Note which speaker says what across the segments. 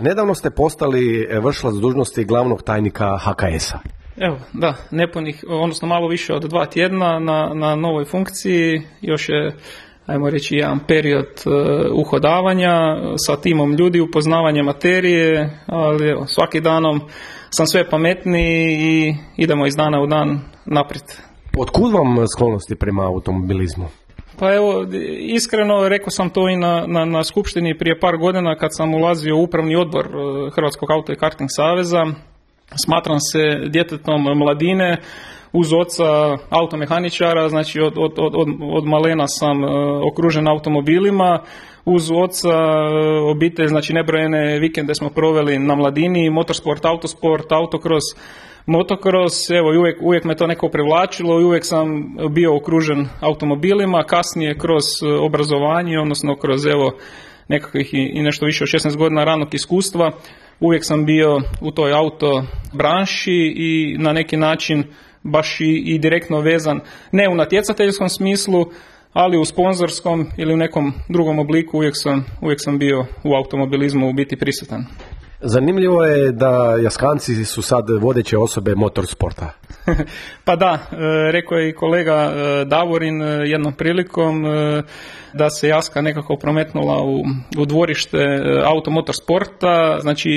Speaker 1: Nedavno ste postali vršilac dužnosti glavnog tajnika HKS-a.
Speaker 2: Evo, da, nepunih, odnosno malo više od 2 tjedna na novoj funkciji, još je, ajmo reći, jedan period uhodavanja sa timom ljudi, upoznavanje materije, ali evo, svaki danom sam sve pametniji i idemo iz dana u dan naprijed.
Speaker 1: Otkud vam sklonosti prema automobilizmu?
Speaker 2: Pa evo, iskreno rekao sam to i na skupštini prije par godina kad sam ulazio u upravni odbor Hrvatskog auto i karting saveza. Smatram se djetetom mladine, uz oca automehaničara, znači od malena sam okružen automobilima, uz oca obitelj, znači nebrojene vikende smo proveli na mladini, motorsport, autosport, autokros, motocross, evo i uvijek me to neko privlačilo i uvijek sam bio okružen automobilima, kasnije kroz obrazovanje, odnosno kroz evo nekakvih i nešto više od 16 godina ranog iskustva, uvijek sam bio u toj auto branši i na neki način baš i direktno vezan, ne u natjecateljskom smislu, ali u sponzorskom ili u nekom drugom obliku uvijek sam bio u automobilizmu u biti prisutan.
Speaker 1: Zanimljivo je da Jaskanci su sad vodeće osobe motorsporta.
Speaker 2: Pa da, rekao je i kolega Davorin jednom prilikom da se Jaska nekako prometnula u dvorište automotorsporta, znači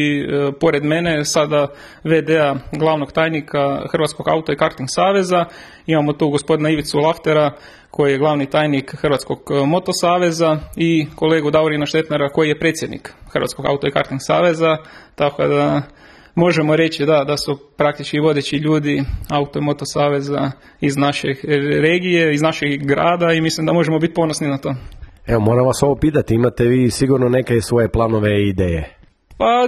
Speaker 2: pored mene sada VD-a glavnog tajnika Hrvatskog auto i karting saveza, imamo tu gospodina Ivicu Laftera koji je glavni tajnik Hrvatskog motosaveza i kolegu Davorina Štetnara koji je predsjednik Hrvatskog auto i karting saveza, tako da možemo reći da su praktički vodeći ljudi auto i moto saveza iz naše regije, iz našeg grada i mislim da možemo biti ponosni na to.
Speaker 1: Evo, moram vas ovo pitati, imate vi sigurno neke svoje planove i ideje?
Speaker 2: Pa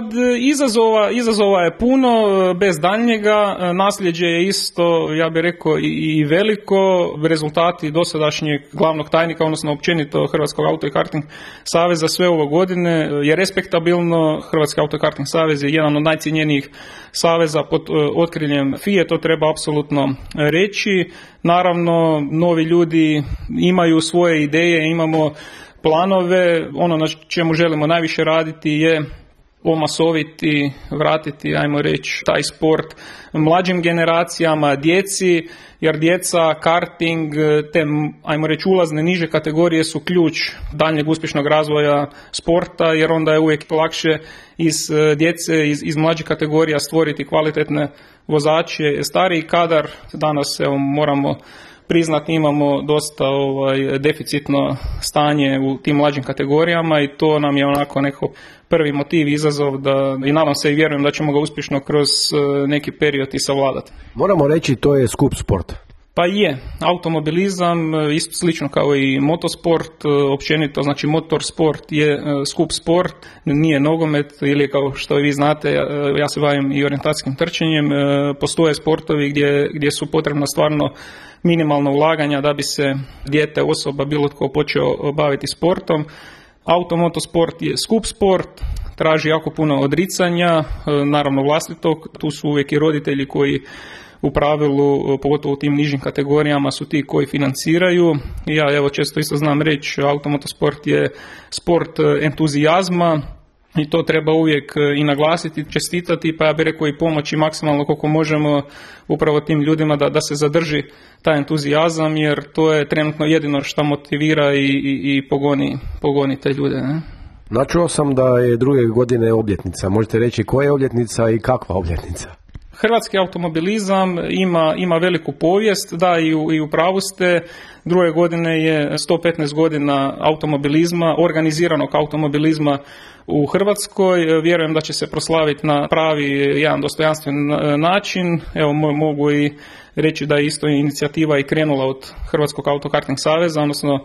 Speaker 2: izazova je puno, bez daljnjega, nasljeđe je isto, ja bih rekao, i veliko, rezultati dosadašnjeg glavnog tajnika, odnosno općenito Hrvatskog auto i karting saveza sve ove godine je respektabilno. Hrvatski auto i karting savez je jedan od najcijenjenijih saveza pod otkriljem FIA, to treba apsolutno reći. Naravno, novi ljudi imaju svoje ideje, imamo planove, ono na čemu želimo najviše raditi je omasoviti, vratiti, ajmo reći, taj sport mlađim generacijama, djeci, jer djeca, karting, te, ajmo reći, ulazne niže kategorije su ključ daljnjeg uspješnog razvoja sporta, jer onda je uvijek lakše iz djece, iz mlađih kategorija stvoriti kvalitetne vozače. Stariji kadar, danas evo, moramo priznati, imamo dosta deficitno stanje u tim mlađim kategorijama i to nam je onako neko prvi motiv, izazov da, i nadam se i vjerujem da ćemo ga uspješno kroz neki period i savladati.
Speaker 1: Moramo reći, to je skup sport.
Speaker 2: Pa je, automobilizam, isto slično kao i motosport, općenito, znači motorsport je skup sport, nije nogomet ili kao što vi znate, ja se bavim i orijentacijskim trčanjem, postoje sportovi gdje su potrebna stvarno minimalna ulaganja da bi se dijete, osoba, bilo tko počeo baviti sportom. Automotosport je skup sport, traži jako puno odricanja, naravno vlastitog, tu su uvijek i roditelji koji u pravilu, pogotovo u tim nižim kategorijama, su ti koji financiraju. Ja evo često isto znam reći, automotosport je sport entuzijazma i to treba uvijek i naglasiti, čestitati, pa ja bih rekao i pomoći maksimalno koliko možemo upravo tim ljudima da se zadrži taj entuzijazam, jer to je trenutno jedino što motivira i pogoni te ljude. Ne?
Speaker 1: Načuo sam da je druge godine obljetnica. Možete reći koja je obljetnica i kakva obljetnica?
Speaker 2: Hrvatski automobilizam ima veliku povijest, da i u pravu ste, druge godine je 115 godina automobilizma, organiziranog automobilizma u Hrvatskoj. Vjerujem da će se proslaviti na pravi jedan dostojanstven način. Evo mogu i reći da je isto inicijativa i krenula od Hrvatskog autokarting saveza, odnosno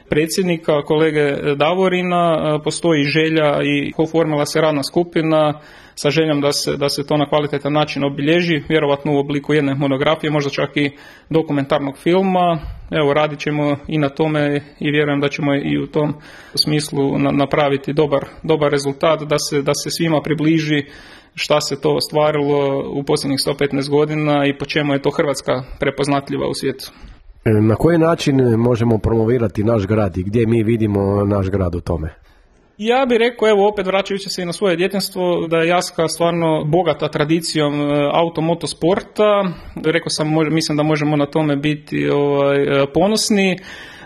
Speaker 2: predsjednika, kolege Davorina, postoji želja i oformila se radna skupina sa željom da se to na kvalitetan način obilježi, vjerovatno u obliku jedne monografije, možda čak i dokumentarnog filma. Evo, radit ćemo i na tome i vjerujem da ćemo i u tom smislu napraviti dobar rezultat, da se svima približi šta se to ostvarilo u posljednjih 115 godina i po čemu je to Hrvatska prepoznatljiva u svijetu.
Speaker 1: Na koji način možemo promovirati naš grad i gdje mi vidimo naš grad u tome?
Speaker 2: Ja bih rekao, evo opet vraćajući se i na svoje djetinjstvo, da je Jaska stvarno bogata tradicijom automotosporta. Rekao sam, mislim da možemo na tome biti ponosni.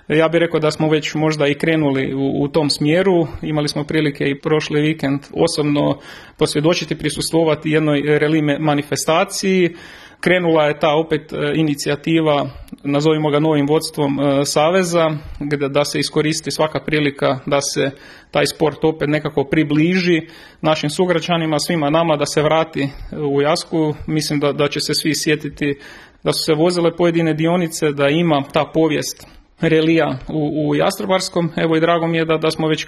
Speaker 2: Ja bih rekao da smo već možda i krenuli u tom smjeru. Imali smo prilike i prošli vikend osobno posvjedočiti, prisustvovati jednoj reli manifestaciji. Krenula je ta opet inicijativa, nazovimo ga novim vodstvom Saveza, da se iskoristi svaka prilika da se taj sport opet nekako približi našim sugrađanima, svima nama, da se vrati u Jasku. Mislim da će se svi sjetiti da su se vozile pojedine dionice, da ima ta povijest relija u Jastrebarskom. Evo i drago mi je da smo već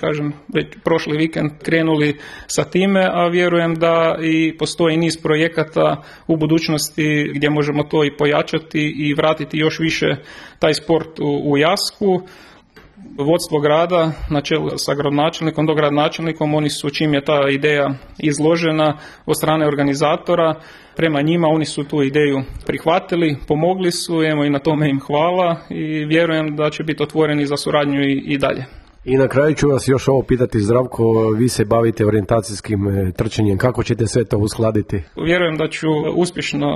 Speaker 2: prošli vikend krenuli sa time, a vjerujem da i postoji niz projekata u budućnosti gdje možemo to i pojačati i vratiti još više taj sport u Jasku. Vodstvo grada na čelu sa gradonačelnikom, dogradonačelnikom, oni su, čim je ta ideja izložena od strane organizatora, prema njima oni su tu ideju prihvatili, pomogli su, evo i na tome im hvala i vjerujem da će biti otvoreni za suradnju i dalje.
Speaker 1: I na kraju ću vas još ovo pitati, Zdravko, vi se bavite orijentacijskim trčanjem, kako ćete sve to uskladiti?
Speaker 2: Vjerujem da ću uspješno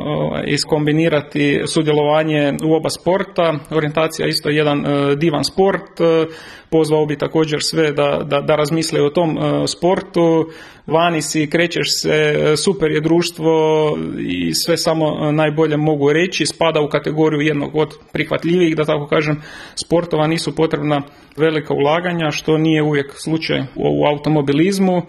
Speaker 2: iskombinirati sudjelovanje u oba sporta. Orijentacija isto je jedan divan sport, pozvao bi također sve da razmisle o tom sportu. Vani si, krećeš se, super je društvo i sve samo najbolje mogu reći. Spada u kategoriju jednog od prihvatljivih, da tako kažem, sportova. Nisu potrebna velika ulaganja, što nije uvijek slučaj u automobilizmu.